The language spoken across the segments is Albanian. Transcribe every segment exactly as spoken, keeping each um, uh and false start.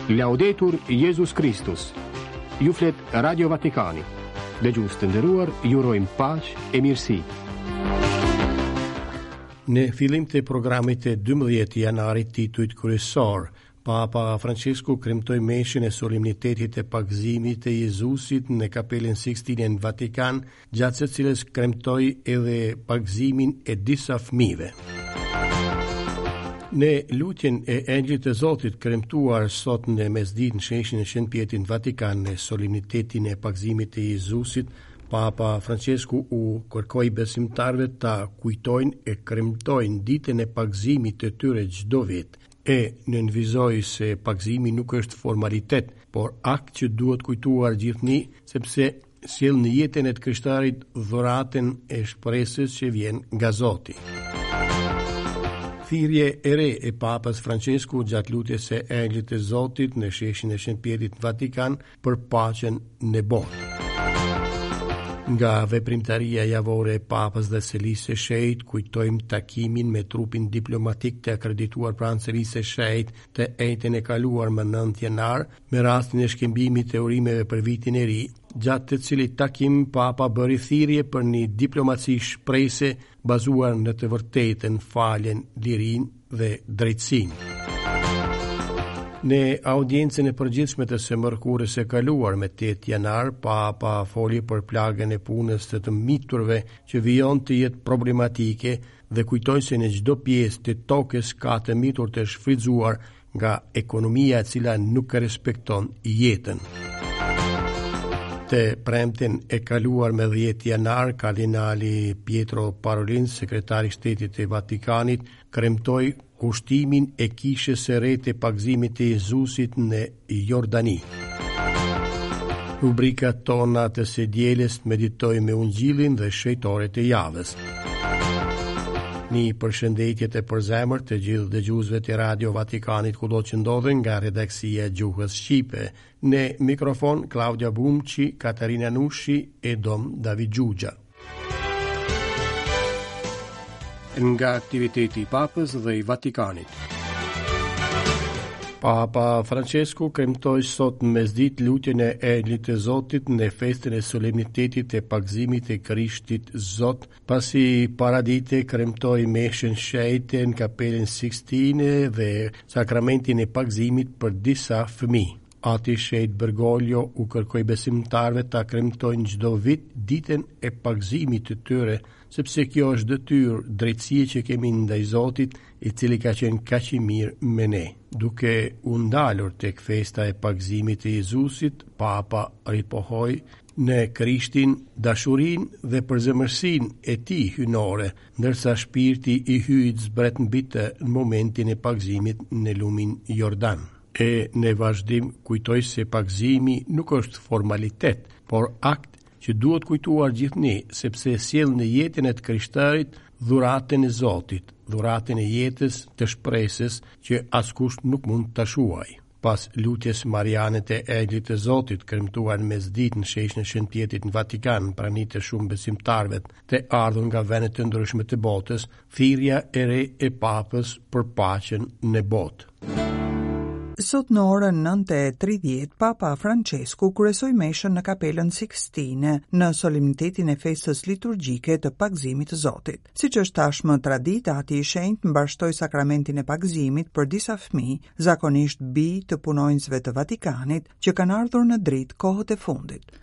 Laudetur Jezus Kristus. Ju flet Radio Vatikani. Dëgjues të nderuar, ju urojmë paqe e mirësi. Në fillim të programit të dymbëdhjetë janarit, titujt kryesor, Papa Francesku kremtoi meshën e solemnitetit të pagëzimit të Jezusit në Kapelën Sixtine në Vatikan, gjatë së cilës kremtoi edhe pagëzimin e disa fëmijëve. Në lutjen e Engjëllit të Zotit kremtuar sot në mesditë në sheshin e Shën Pjetrit në Vatikan në solemnitetin e pagëzimit të Jezusit, Papa Francesku u kërkoi besimtarëve ta kujtojnë e kremtojnë ditën e pagëzimit të tyre çdo vit, e nënvizoi se pagëzimi nuk është formalitet, por akt që duhet kujtuar gjithnjë, sepse sjell në jetën e të krishtarit dhuratën e shpresës që vjen nga Zoti. Thirrje e re e Papës Francesku gjatë lutjes së Engjëllit të Zotit në sheshin e Shën Pjetrit në Vatikan për paqen në botë. Nga veprimtaria javore e Papës dhe Selisë së Shenjtë kujtojmë takimin me trupin diplomatik të akredituar pranë Selisë së Shenjtë të enjten e kaluar më nëntë janar, me rastin e shkëmbimit të urimeve për vitin e ri, gjatë të cilit takim Papa bëri thirrje për një diplomaci shprese bazuar në të vërtetën, faljen, lirinë dhe drejtësinë. Në audiencën e përgjithshme të së mërkurës së kaluar me tetë janar, Papa foli për plagën e punës të të miturve që vijon të jetë problematike dhe kujtoi se në çdo pjesë të tokës ka të mitur të shfrytzuar nga ekonomia e cila nuk respekton jetën. Të premten e kaluar me dhjetë janar, kardinali Pietro Parolin, sekretari i Shtetit të Vatikanit, kremtoi kushtimin e kishës së re të pagëzimit të Jezusit në Jordani. Rubrikat tona të së dielës meditoj me Ungjillin dhe shenjtorët e javës. Një përshëndetje të përzemërt të gjithë dëgjuesve të Radio Vatikanit kudo që ndodhen nga redaksia e gjuhës shqipe. Në mikrofon Klaudia Bumçi, Katarina Nushi e Dom David Xhuxha. Nga aktiviteti i Papës dhe i Vatikanit. Papa Francesku kremtoi sot në mesditë lutjen e Engjëllit të Zotit në festën e solemnitetit të pagëzimit të Krishtit Zot, pasi paradite kremtoi meshën shenjte në Kapelën Sixtine dhe sakramentin e pagëzimit për disa fëmijë. Ati Shenjt Bergoglio u kërkoi besimtarëve ta kremtojnë çdo vit ditën e pagëzimit të tyre, sepse kjo është detyrë drejtësie që kemi ndaj Zotit, i cili ka qenë kaq i mirë me ne. Duke u ndalur tek festa e pagëzimit të Jezusit, Papa ripohoi në Krishtin dashurinë dhe përzemërsinë e tij hyjnore, ndërsa shpirti i hyjit zbret mbi të në momentin e pagëzimit në lumin Jordan. E në vazhdim kujtoi se pagëzimi nuk është formalitet, por akt që duhet kujtuar gjithnjë, sepse sjell në jetën e të krishtarit dhuratën e Zotit, dhuratën e jetës të shpresës që askush nuk mund ta shuajë. Pas lutjes Mariane të Engjëllit të Zotit, kremtuar në mesditë në sheshin e Shën Pjetrit në Vatikan, prani të shumë besimtarëve të ardhur nga vende të ndryshme të botës, thirrja e re e Papës për paqen në botë. Sot në orën nëntë e tridhjetë, Papa Francesku kryesoi meshën në Kapelën Sixtine në solemnitetin e festës liturgjike të pagëzimit të Zotit. Siç është tashmë traditë, Ati i Shenjtë mbarështoi sakramentin e pagëzimit për disa fëmijë, zakonisht bij të punonjësve të Vatikanit, që kanë ardhur në dritë kohët e fundit.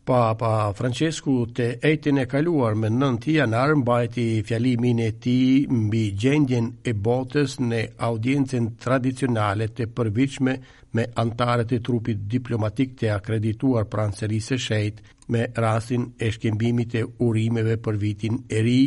Papa Francesku të enjten e kaluar me nëntë janar mbajti fjalimin e tij mbi gjendjen e botës në audiencën tradicionale të përvitshme me anëtarët e trupit diplomatik të akredituar pranë Selisë së Shenjtë me rastin e shkëmbimit të urimeve për vitin e ri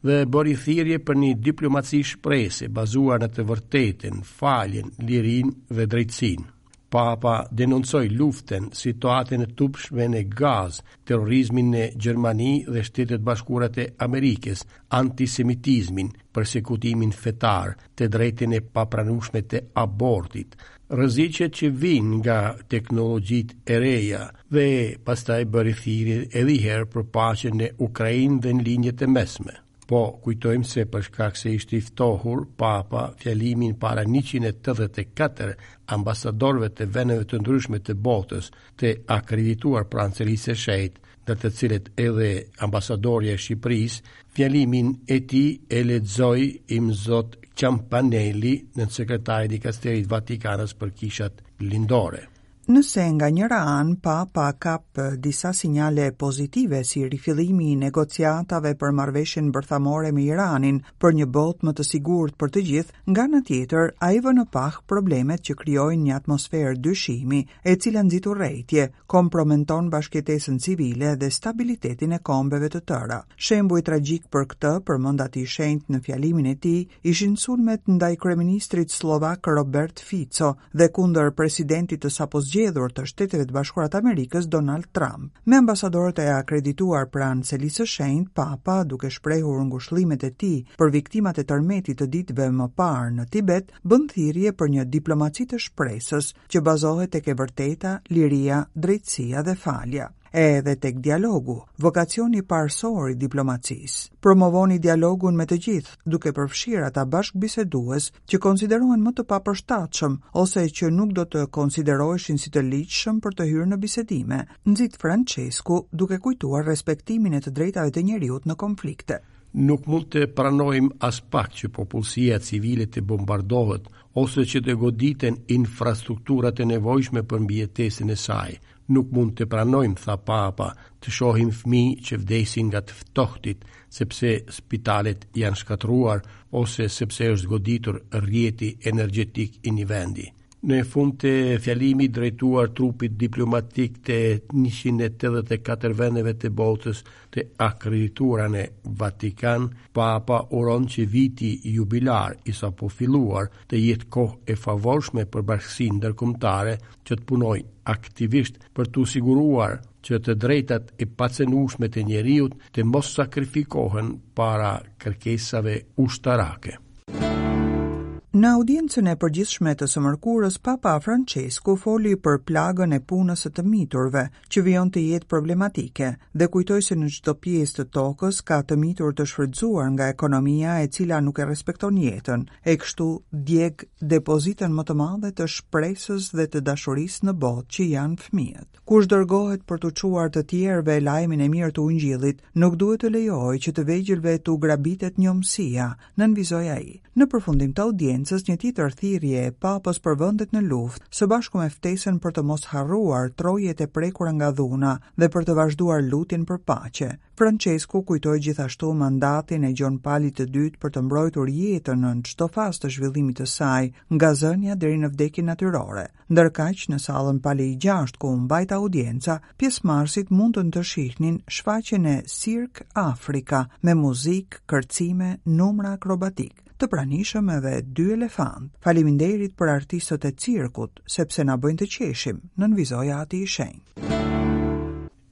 dhe bëri thirrje për një diplomaci shprese bazuar në të vërtetën, faljen, lirinë dhe drejtësinë. Papa denoncoi luftën, situatën e turpshme në Gazë, terrorizmin në Gjermani dhe Shtetet Bashkuara të Amerikës, antisemitizmin, persekutimin fetar, të drejtën e papranueshme të abortit, rreziqet që vijnë nga teknologjitë e reja dhe pastaj bëri thirrje edhe një herë për paqen në Ukrainë dhe në lindjet e mesme. Po kujtojmë se për shkak se ishte i ftohur, Papa fjalimin para njëqind e tetëdhjetë e katër ambasadorëve të vendeve të ndryshme të botës të akredituar pranë Selisë së Shenjtë, ndër të cilët edhe ambasadorja e Shqipërisë, fjalimin e tij e lexoi Imzot Ciampanelli, nënsekretari i dikasterit Vatikanës për kishat lindore. Nëse nga njëra anë Papa kap disa sinjale pozitive si rifillimi i negociatave për marrëveshjen bërthamore me Iranin për një botë më të sigurt për të gjithë, nga ana tjetër ai vë në pah problemet që krijojnë një atmosferë dyshimi, e cila nxit urrejtje, kompromenton bashkëjetesën civile dhe stabilitetin e kombeve të tëra. Shembuj tragjik për këtë, përmend Ati i Shenjtë në fjalimin e tij, ishin sulmet ndaj kryeministrit slovak Robert Fico dhe kundër presidentit të sapozgjedhur të Shteteve të Bashkuara të Amerikës Donald Trump. Me ambasadorët e akredituar pranë Selisë së Shenjtë, Papa, duke shprehur ngushëllimet e tij për viktimat e tërmetit të ditëve më parë në Tibet, bën thirrje për një diplomaci të shpresës që bazohet tek e vërteta, liria, drejtësia dhe falja. Edhe tek dialogu, vokacioni parësor i diplomacisë. Promovoni dialogun me të gjithë, duke përfshirë ata bashkëbisedues që konsiderohen më të papërshtatshëm ose që nuk do të konsideroheshin si të ligjshëm për të hyrë në bisedime, nxit Francesku duke kujtuar respektimin e të drejtave të njeriut në konflikte. Nuk mund të pranojmë as pak që popullsia civile të bombardohet ose që të goditen infrastrukturat e nevojshme për mbijetesën e saj. Nuk mund të pranojmë, tha Papa, të shohim fëmijë që vdesin nga të ftohtit, sepse spitalet janë shkatërruar ose sepse është goditur rrjeti energjetik i një vendi. Në fund të fjalimit drejtuar trupit diplomatik të njëqind e tetëdhjetë e katër vendeve të botës të akredituara në Vatikan, Papa uron që viti jubilar i sapo filluar të jetë kohë e favorshme për bashkësinë ndërkombëtare që të punojë aktivisht për t'u siguruar që të drejtat e pacenueshme të njeriut të mos sakrifikohen para kërkesave ushtarake. Në audiencën e përgjithshme të së mërkurës, Papa Francesku foli për plagën e punës së të miturve, që vijon të jetë problematike, dhe kujtoi se në çdo pjesë të tokës ka të mitur të shfrytzuar nga ekonomia e cila nuk e respekton jetën, e kështu djeg depozitën më të madhe të shpresës dhe të dashurisë në botë që janë fëmijët. Kush dërgohet për t'u çuar të tjerëve lajmin e mirë të Ungjillit, nuk duhet të lejojë që të vegjëlve t'u grabitet njomësia, nënvizoi ai. Në përfundim të audiencës, një tjetër thirrje e Papës për vendet në luftë, së bashku me ftesën për të mos harruar trojet e prekura nga dhuna dhe për të vazhduar lutjen për paqe. Francesku kujtoi gjithashtu mandatin e Gjon Palit të dytë për të mbrojtur jetën në çdo fazë të zhvillimit të saj, nga zënia deri në vdekjen natyrore. Ndërkaq, në sallën Pali i gjashtë ku u mbajt audienca, pjesëmarrësit mundën të shihnin shfaqjen e Cirque Africa me muzikë, kërcime, numra akrobatik, të pranishëm edhe dy elefant. Faleminderit për artistët e cirkut, sepse na bëjnë të qeshim, nënvizoi Ati i Shenjtë.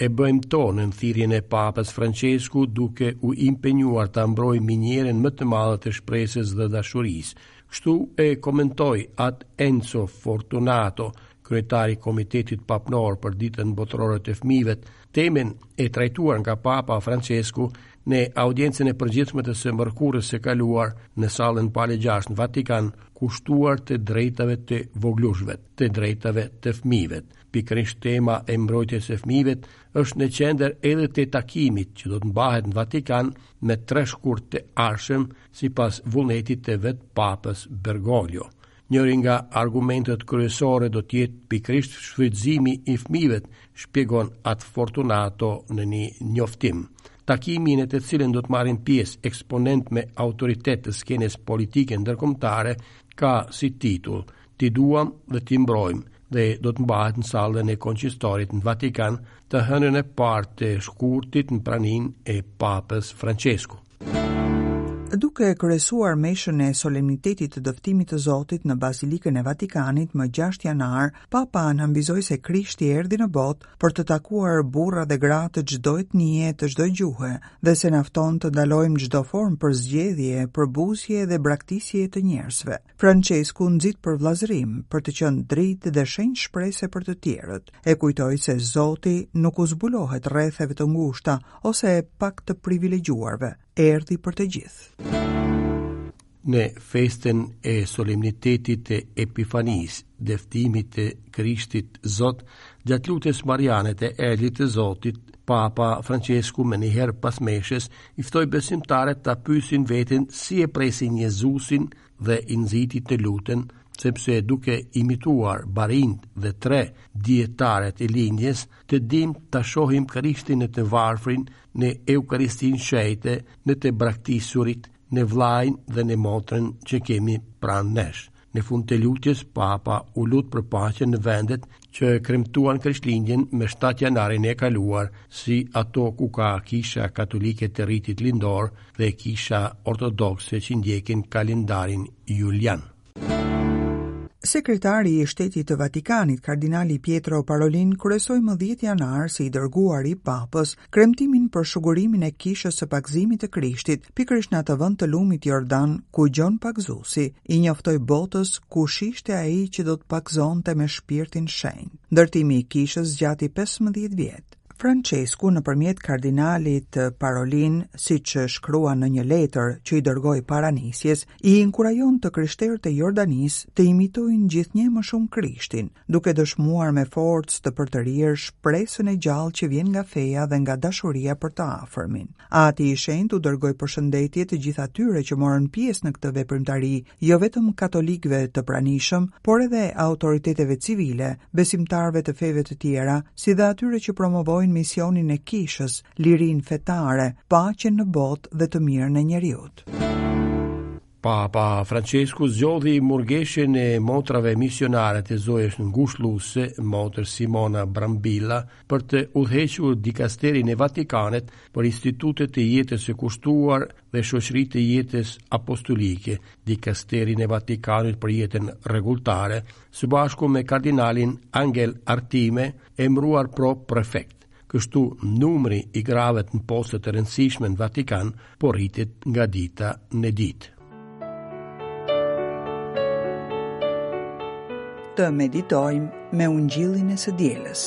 E bëjmë tonën thirrjen e Papës Francesku duke u impenjuar ta mbrojmë minierën më të madhe të shpresës dhe dashurisë. Kështu e komentoi At Enzo Fortunato, kryetari i Komitetit Papnor për Ditën Botërore të Fëmijëve, temën e trajtuar nga Papa Francesku në audiencën e përgjithshme të së mërkurës së kaluar në sallën Pale gjashtë në Vatikan, kushtuar të drejtave të vogëlushve, të drejtave të fëmijëve. Pikërisht tema e mbrojtjes së fëmijëve është në qendër edhe të takimit që do të mbahet në Vatikan me tre shkurt të ardhshëm sipas vullnetit të vet Papës Bergoglio. Njëri nga argumentet kryesore do të jetë pikërisht shfrytëzimi i fëmijëve, shpjegon At Fortunato në një njoftim. Takimi në të cilin do të marrin pjesë eksponent me autoritet të skenës politike ndërkombëtare ka si titull Ti duam dhe ti mbrojmë, dhe do të mbahet në sallën e Konçistorit në Vatikan të hënën e parë të shkurtit në praninë e Papës Francesku. Duke kryesuar meshën e solemnitetit të dëftimit të Zotit në Bazilikën e Vatikanit më gjashtë janar, Papa nënvizoi se Krishti erdhi në botë për të takuar burra dhe gra të çdo etnie, të çdo gjuhe, dhe se na fton të ndalojmë çdo formë përzgjedhje, përbuzje dhe braktisje të njerëzve. Francesku nxit për vëllazërim, për të qenë dritë dhe shenjë shprese për të tjerët. E kujtoi se Zoti nuk u zbulohet rretheve të ngushta ose pak të privilegjuarve. erdhi për të gjithë. Në festën e solemnitetit të Epifanisë, dëftimit të Krishtit Zot, gjatë lutjes mariane të Engjëllit të Zotit, Papa Francesku menjëherë pas meshës i ftoi besimtarët ta pyesin veten si e presin Jezusin dhe i nxiti të luten, sepse duke imituar barinjt dhe tre dijetarët e lindjes, të dim ta shohim Krishtin në të varfrin, në Eukaristinë shenjte, në të braktisurit, në vllajin dhe në motrën që kemi pranë nesh. Në fund të lutjes, Papa u lut për paqen në vendet që kremtuan Krishtlindjen me shtatë janarin e kaluar, si ato ku ka kisha katolike të ritit lindor dhe kisha ortodokse që ndjekin kalendarin Julian. Sekretari i Shtetit të Vatikanit, kardinali Pietro Parolin, kryesoi më dhjetë janar si i dërguar i Papës kremtimin për shugurimin e kishës së pagëzimit të Krishtit, pikërisht në atë vend të lumit Jordan, ku Gjon Pagëzuesi i njoftoi botës kush ishte ai që do të pagëzonte me shpirtin shenjt. Ndërtimi i kishës zgjati pesëmbëdhjetë vjet. Francesku, nëpërmjet kardinalit Parolin, siç shkruan në një letër që i dërgoi para nisjes, i inkurajon të krishterët e Jordanisë të imitojnë gjithnjë më shumë Krishtin, duke dëshmuar me forcë të përtërirë shpresën e gjallë që vjen nga feja dhe nga dashuria për të afërmin. Ati i Shenjtë u dërgoi përshëndetje të gjithë atyre që morën pjesë në këtë veprimtari, jo vetëm katolikëve të pranishëm, por edhe autoriteteve civile, besimtarëve të feve të tjera, si dhe atyre që promovojnë misionin e kishës, lirinë fetare, paqen në botë dhe të mirën e njeriut. Papa Francesku zgjodhi murgeshën e motrave misionare të Zojës Ngushëlluese, motër Simona Brambilla, për të udhëhequr dikasterin e Vatikanit për institutet e jetës së kushtuar dhe shoqëritë e jetës apostolike, dikasterin e Vatikanit për jetën rregulltare, së bashku me kardinalin Angel Artime, emëruar pro prefekt. Kështu, numri i grave në poste të rëndësishme në Vatikan po rritet nga dita në ditë. Të meditojmë me Ungjillin e së dielës.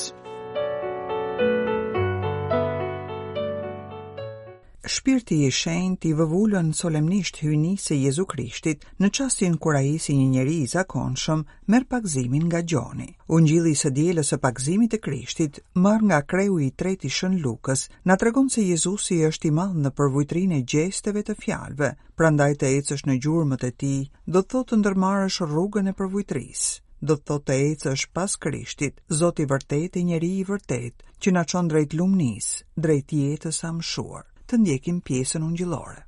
Shpirti i Shenjtë i vëvulën solemnisht hyjnisë së Jezu Krishtit në çastin kur ai si një njeri i zakonshëm merr pagëzimin nga Gjoni. Ungjilli i së dielës së pagëzimit të Krishtit, marr nga kreu i tretë i Shën Lukës, na tregon se Jezusi është i madh në përvujtrinë e gjesteve të fjalëve, prandaj të ecësh në gjurmët e tij do të thotë të ndërmarrësh rrugën e përvujtrisë. Do të thotë të ecësh pas Krishtit, Zoti i vërtetë e njeri i vërtetë, që na çon drejt lumnisë, drejt jetës së amshuar. Të ndjekim pjesën ungjillore.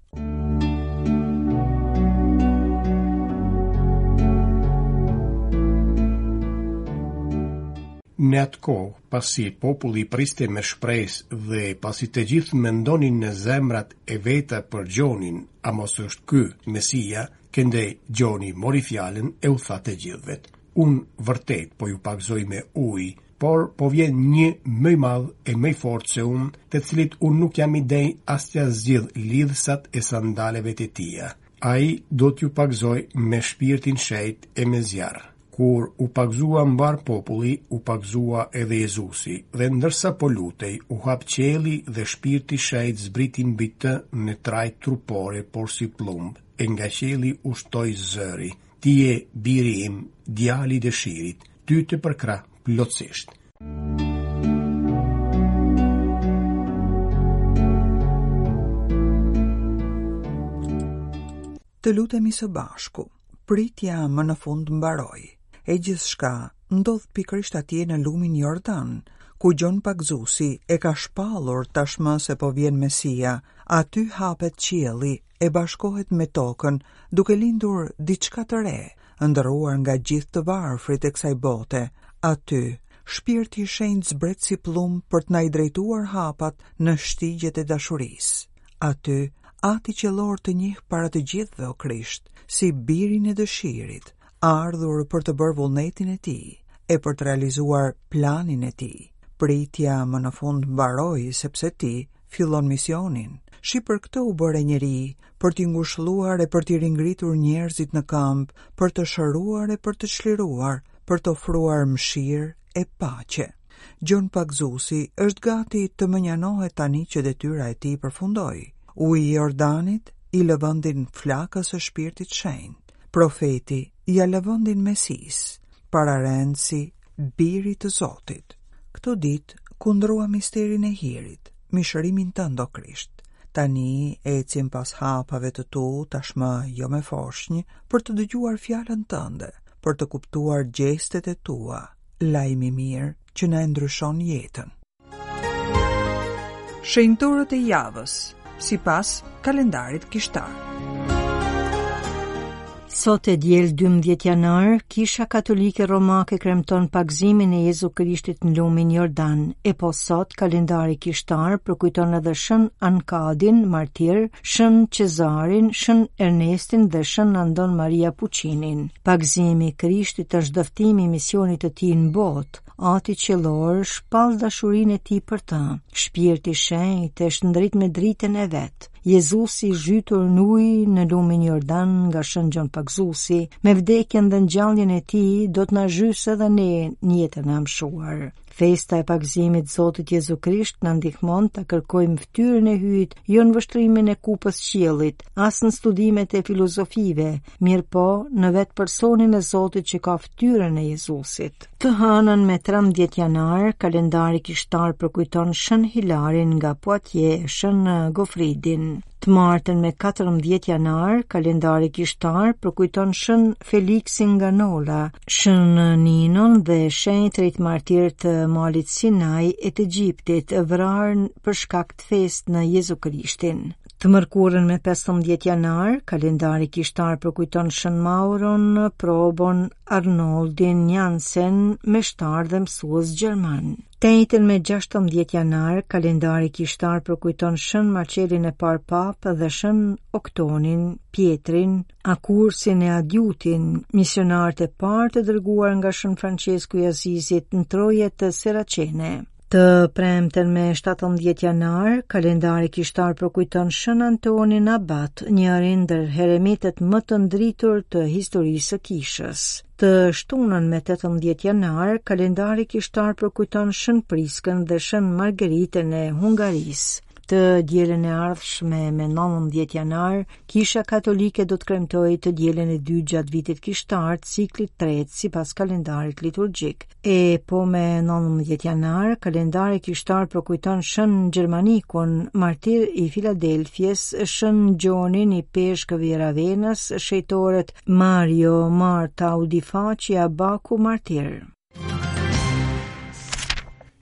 Në atë kohë, pasi populli priste me shpresë dhe pasi të gjithë mendonin në zemrat e veta për Gjonin, a mos është ky Mesia, këndej Gjoni mori fjalën e u tha të gjithëve: Unë vërtet po ju pagëzoj me ujë, por po vjen një më i madh e më i fortë se unë, të cilit unë nuk jam i denjë as t'ia zgjidh lidhsat e sandaleve të tija. Ai do t'ju pagëzoj me shpirtin shenjt e me zjarr. Kur u pagëzua mbar populli, u pagëzua edhe Jezusi, dhe ndërsa po lutej, u hap qielli dhe shpirti shenjt zbriti mbi të në trajtë trupore, por si plumb, e nga qielli u shtoi zëri: Ti je biri im, djali i dëshirit, ty të përkrah plotësisht. Të lutemi së bashku. Pritja më në fund mbaroi. E gjithçka ndodh pikërisht atje në lumin Jordan, ku Gjon Pagëzuesi e ka shpallur tashmë se po vjen Mesia. Aty hapet qielli e bashkohet me tokën, duke lindur diçka të re, ëndërruar nga gjithë të varfrit e kësaj bote. Aty, shpirti i shenjtë zbret si plumb për të na i drejtuar hapat në shtigjet e dashurisë. Aty, Ati qiellor të njeh para të gjithëve, o Krisht, si birin e dëshirit, ardhur për të bërë vullnetin e tij e për të realizuar planin e tij. Pritja më në fund mbaroi, sepse ti fillon misionin. Shi për këtë u bëre njeri, për t'i ngushëlluar e për t'i ringritur njerëzit në këmbë, për të shëruar e për të çliruar, për të ofruar mëshirë e paqe. Gjon Pagëzuesi është gati të mënjanohet tani që detyra e tij përfundoi. Uji i Jordanit i lë vendin flakës së Shpirtit Shenjt. Profeti ia lë vendin Mesisë, pararendësi birit të Zotit. Këto ditë kundrua misterin e hirit, mishërimin tënd, o Krisht. Tani ecim pas hapave të tu, tashmë jo me foshnjë, për të dëgjuar fjalën tënde, për të kuptuar gjestet e tua, lajmi i mirë që na e ndryshon jetën. Shenjtorët e javës, sipas kalendarit kishtar. Sot e diel dymbëdhjetë janar, Kisha Katolike Romake kremton pagëzimin e Jezu Krishtit në lumin Jordan. E po sot, kalendari kishtar përkujton edhe Shën Ankadin, martir, Shën Cezarin, Shën Ernestin dhe Shën Andon Maria Puccinin. Pagëzimi i Krishtit është dëftimi i misionit të tij në botë. Ati qiellor shpall dashurinë e tij për të. Shpirti i Shenjtë e shndrit me dritën e vet. Jezusi i zhytur në ujë në lumin Jordan nga Shën Gjon Pagëzuesi, me vdekjen dhe ngjalljen e tij do të na zhysë edhe ne në jetën e amshuar. Festa e pagëzimit Zotit Jezu Krisht na ndihmon ta kërkojmë fytyrën e Hyjit jo në vështrimin e kupës qiellit, as në studimet e filozofive, mirë po në vetë personin e Zotit që ka fytyrën e Jezusit. Të hënën me trembëdhjetë janar, kalendari kishtar përkujton Shën Hilarin nga Poitiers e Shën Gofridin. Të martën me katërmbëdhjetë janar, kalendari kishtar përkujton Shën Feliksin nga Nola, Shën Ninon dhe shenjtrit martir të malit Sinai e të Egjiptit, vrarë për shkak të fesë në Jezu Krishtin. Të mërkurën me pesëmbëdhjetë janar, kalendari kishtar përkujton Shën Mauron, Probon, Arnoldin, Jansen, meshtar dhe mësues gjerman. Të enjten me gjashtëmbëdhjetë janar, kalendari kishtar përkujton Shën Marcelin e parë Papë dhe Shën Oktonin, Pietrin, Akursin e Adjutin, misionarët e parë të dërguar nga Shën Francesku i Azizit në trojet të Seracene. Të premten me shtatëmbëdhjetë janar, kalendari kishtar përkujton Shën Antonin Abat, njërin ndër heremitët më të ndritur të historisë së kishës. Të shtunën me tetëmbëdhjetë janar, kalendari kishtar përkujton Shën Priskën dhe Shën Margaritën e Hungarisë. Të dielën e ardhshme me nëntëmbëdhjetë janar, Kisha Katolike do të kremtojë të dielën e dytë gjatë vitit kishtar të ciklit tretë sipas kalendarit liturgjik. E po me nëntëmbëdhjetë janar, kalendari kishtar përkujton Shën Gjermanikun, martir i Filadelfies, Shën Gjonin i Peshkëv i Ravenës, shejtorët Mario, Marta, Audifaci, Abaku, martir.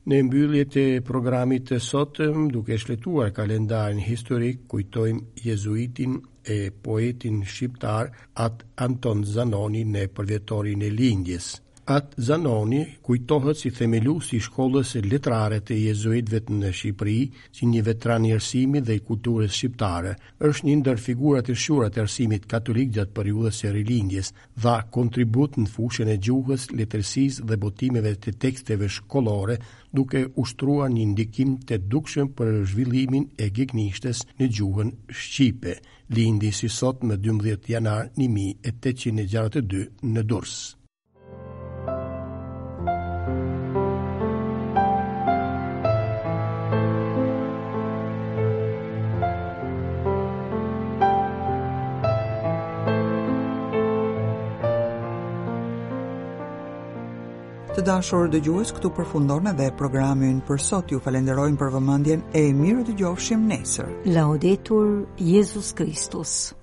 Në mbyllje të programit të sotëm, duke shletuar kalendarin historik, kujtojmë jezuitin e poetin shqiptar At Anton Zanoni në përvjetorin e lindjes. At Zanoni kujtohet si themelues i shkollës letrare të jezuitëve në Shqipëri, si një veteran i arsimit dhe i kulturës shqiptare. Është një ndër figurat e shquara të arsimit katolik gjatë periudhës së rilindjes, dha kontribut në fushën e gjuhës, letërsisë dhe botimeve të teksteve shkollore, duke ushtruar një ndikim të dukshëm për zhvillimin e gegnishtes në gjuhën shqipe. Lindi si sot më dymbëdhjetë janar një mijë e tetëqind e gjashtëdhjetë e dy në Durrës. Të dashur dëgjues, këtu përfundon edhe programi ynë për sot. Ju falenderojmë për vëmendjen e mirë dëgjofshim nesër. Laudetur Jezus Kristus.